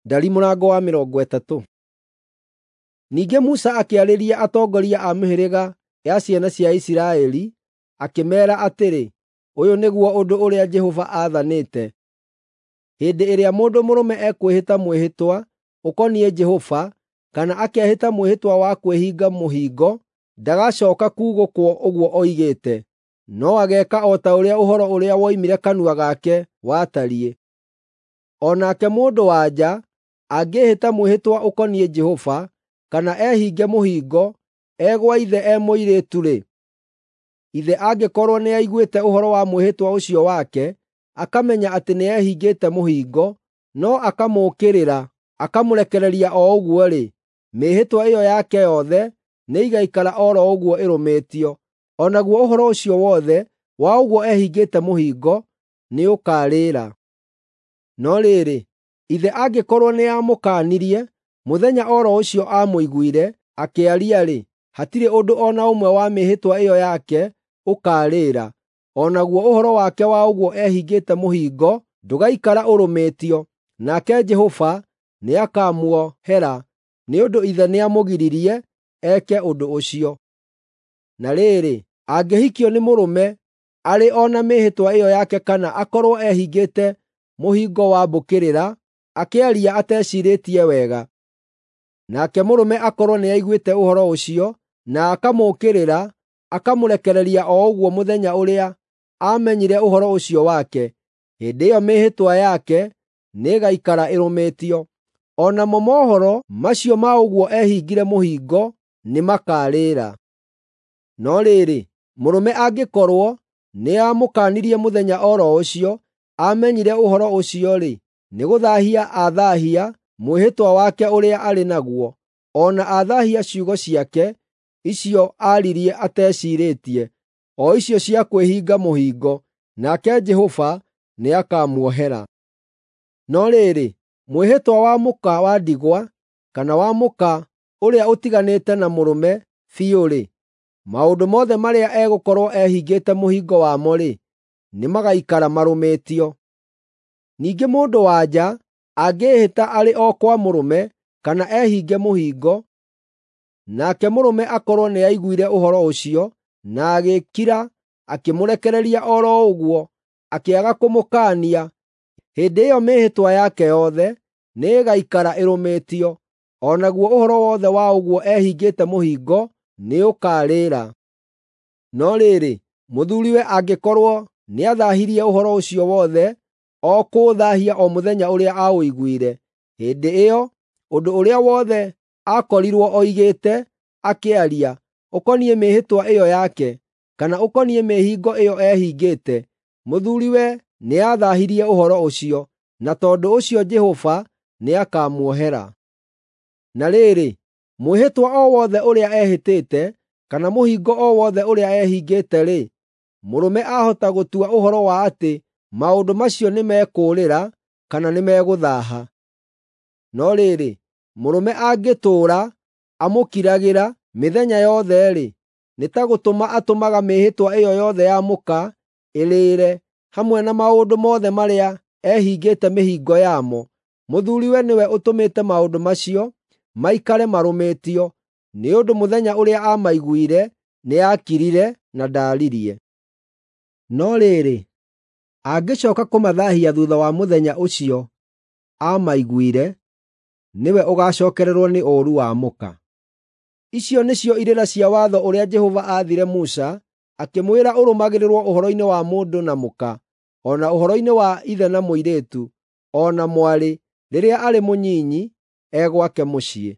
Ndari mũrango wa 30. Ningĩ Musa akĩarĩria atongoria a mĩhĩrĩga ya ciana cia Isiraeli, akĩmeera atĩrĩ, “Ũyũ nĩguo ũndũ ũrĩa Jehova aathanĩte: Hĩndĩ ĩrĩa mũndũ mũrũme ekwĩhĩta mwĩhĩtwa ũkoniĩ Jehova, kana akehĩta mwĩhĩtwa wa kwĩhinga mũhingo, ndagacooka kuugũkwo ũguo oigĩte, no ageeka o ta ũrĩa ũhoro ũrĩa woimire kanua gake watariĩ. O nake mũndũ-wa-nja angĩĩhĩta mwĩhĩtwa ũkoniĩ Jehova, kana ehinge mũhingo e gwa ithe e mũirĩtu-rĩ, ithe angĩkorwo nĩaiguĩte ũhoro wa mwĩhĩtwa ũcio wake, akamenya atĩ nĩehingĩte mũhingo, no akamũũkĩrĩra akamũrekereria o ũguo-rĩ, mĩĩhĩtwa ĩyo yake yothe nĩĩgaikara o ro ũguo ĩrũmĩtio, o naguo ũhoro ũcio wothe wa ũguo ehingĩte mũhingo nĩũkarĩĩra. No rĩrĩ, ithe angĩkorwo nĩamũkaanirie mũthenya o ro ũcio aamũiguire akĩaria-rĩ, hatirĩ ũndũ o na ũmwe wa mĩĩhĩtwa ĩyo yake ũkaarĩĩra, o naguo ũhoro wake wa ũguo ehingĩte mũhingo ndũgaikara ũrũmĩtio, nake Jehova nĩakamuohera nĩ ũndũ ithe nĩamũgiririe eke ũndũ ũcio. Na rĩrĩ, angĩhikio nĩ mũrũme arĩ o na mĩĩhĩtwa ĩyo yake kana akorwo ehingĩte mũhingo wa mbũkĩrĩra, akĩaria ateciirĩtie wega, nake mũrũme akorwo nĩaiguĩte ũhoro ũcio, na akamũũkĩrĩra akamũrekereria o ũguo mũthenya ũrĩa aamenyire ũhoro ũcio wake, hĩndĩ ĩyo mĩĩhĩtwa yake nĩĩgaikara ĩrũmĩtio. O namo mohoro macio ma ũguo ehingire mũhingo nĩmakarĩĩra. No rĩrĩ, mũrũme angĩkorwo nĩamũkaanirie mũthenya o ro ũcio aamenyire ũhoro ũcio-rĩ, nĩgũthaahia athaahia mwĩhĩtwa wake ũrĩa arĩ naguo, o na athaahia ciugo ciake icio aaririe ateciirĩtie, o icio cia kwĩhinga mũhingo, nake Jehova nĩakamuohera. No rĩrĩ, mwĩhĩtwa wa mũka wa ndigwa kana wa mũka ũrĩa ũtiganĩte na mũrũme biũ-rĩ, maũndũ mothe marĩa egũkorwo ehingĩte mũhingo wamo-rĩ, nĩmagaikara marũmĩtio. Ningĩ mũndũ-wa-nja angĩĩhĩta arĩ o kwa mũrũme kana ehinge mũhingo, nake mũrũme akorwo nĩaiguire ũhoro ũcio, na agĩkira akĩmũrekereria o ro ũguo, akĩaga kũmũkaania, hĩndĩ ĩyo mĩĩhĩtwa yake yothe nĩĩgaikara ĩrũmĩtio, o naguo ũhoro wothe wa ũguo ehingĩte mũhingo nĩũkarĩĩra. No rĩrĩ, mũthuuriwe angĩkorwo nĩathaahirie ũhoro ũcio wothe o kũũthaahia o mũthenya ũrĩa aaũiguire, hĩndĩ ĩyo ũndũ ũrĩa wothe aakorirwo oigĩte akĩaria, ũkoniĩ mĩĩhĩtwa ĩyo yake, kana ũkoniĩ mĩĩhingo ĩyo ehingĩte, mũthuuriwe nĩathaahirie ũhoro ũcio, na tondũ ũcio Jehova nĩakamuohera. Na rĩrĩ, mwĩhĩtwa o wothe ũrĩa ehĩtĩte, kana mũhingo o wothe ũrĩa ehingĩte-rĩ, mũrũme ahota gũtua ũhoro wa atĩ maũndũ macio nĩmekũũrĩra kana nĩmegũthaaha. No rĩrĩ, mũrũme angĩtũũra amũkiragĩra mĩthenya yothe-rĩ, nĩ ta gũtũma atũmaga mĩĩhĩtwa ĩyo yothe ya mũka ĩrĩĩre, hamwe na maũndũ mothe marĩa ehingĩte mĩhingo yamo. Mũthuuriwe nĩwe ũtũmĩte maũndũ macio maikare marũmĩtio, nĩ ũndũ mũthenya ũrĩa aamaiguire nĩakirire na ndaaririe. No rĩrĩ, angĩcooka kũmathaahia thuutha wa mũthenya ũcio aamaiguire, nĩwe ũgaacookererwo nĩ ũũru wa mũka. Icio nĩcio irĩra cia watho ũrĩa Jehova aathire Musa, akĩmwĩra ũrũmagĩrĩrwo ũhoro-inĩ wa mũndũ na mũka, o na ũhoro-inĩ wa ithe na mũirĩtu, o na mwarĩ, rĩrĩa arĩ mũnyinyi e gwake mũciĩ.